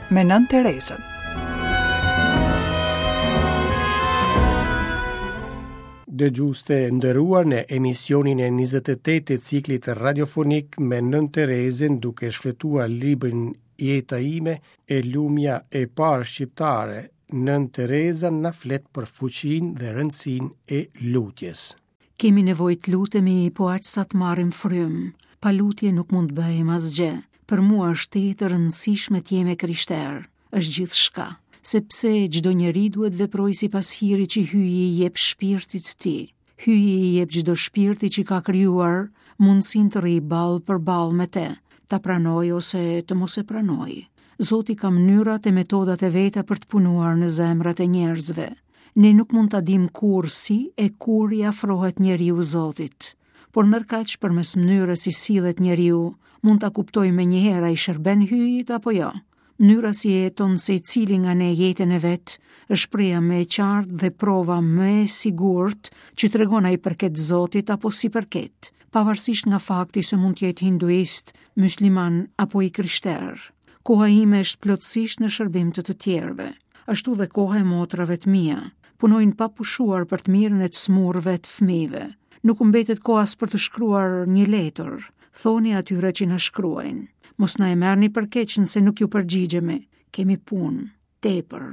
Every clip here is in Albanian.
me Nënë Terezën. Dëgjues të nderuar në emisionin e 28 të ciklit radiofonik me Nënë Terezën duke shfletuar librin Jeta ime e lumja e parë shqiptare, Nënë Tereza na flet për fuqinë dhe rëndësinë e lutjes. Kemi nevojë të lutemi po aq sa të marrim frymë. Pa lutje nuk mund të bëjmë asgjë. Për mua është tejet e rëndësishme të jem e krishterë. Është gjithçka, sepse çdo njeri duhet të veprojë sipas hirit që Hyji i jep shpirtit të tij. Hyji i jep çdo shpirti që ka krijuar mundësinë të rrijë ballë për ballë me te, ta pranojë ose të mos e pranojë. Zoti ka mënyrat e metodat e veta për të punuar në zemrat e njerëzve. Ne nuk mund ta dimë kurrë si e kur i afrohet njeriu Zotit. Por ndërkaq përmes mënyrës si sillet njeriu, mund ta kuptojmë menjëherë a i shërben Hyjit apo jo. Mënyra si e jeton secili nga ne jetën e vet, është shprehja më e qartë dhe prova më e sigurt që tregon a i përket Zotit apo s'i përket, pavarësisht nga fakti se mund të jetë hinduist, mysliman apo i krishterë. Koha ime është plotësisht në shërbim të të tjerëve. Ashtu dhe koha e motrave të mia. Punojnë pa pushuar për të mirën e të sëmurëve të fëmijëve. Nuk u mbetet kohë as për të shkruar një letër. Thoni atyre që na shkruajnë. Mos na e merrni për keq nëse nuk ju përgjigjemi. Kemi punë. Tepër.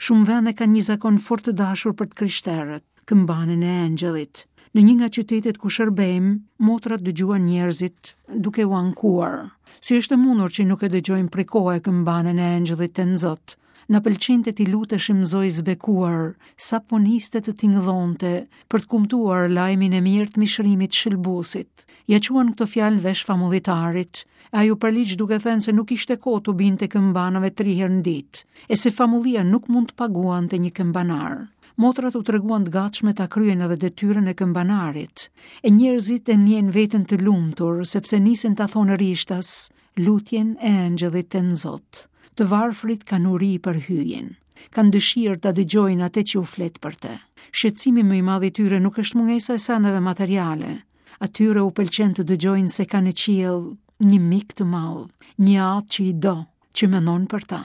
Shumë vende kanë një zakon fort të dashur për të krishterët, këmbanën e engjëllit. Në një nga qytetet ku shërbejmë, motrat dëgjuan njerëzit duke u ankuar. Si është e mundur që nuk e dëgjojmë prej kohe këmbanën e engjëllit tënzot? Na pëlqente t'i luteshim Zojës së Bekuar, sapo niste të tingëllonte, për të kumtuar lajmin e mirë të mishërimit të Shëlbuesit. Ia çuan këto fjalë në vesh famullitarit, e ai u përligj duke thënë se nuk ishte kohë t'u binte këmbanave tri herë në ditë, e se famullia nuk mund të paguante një këmbanar. Motrat u treguan të gatshme ta kryejnë edhe detyrën e këmbanarit, e njerëzit e ndjenë veten të lumtur, sepse nisën ta thonë rishtas lutjen e engjëllit tënzot. Të varfrit kanë uri për Hyjin. Kanë dëshirë ta dëgjojnë atë që u flet për të. Shqetësimi më i madh i tyre nuk është mungesa e sendeve materiale. Atyre u pëlqen të dëgjojnë se kanë në qiell një mik të madh, një atë që i do, që mendon për ta.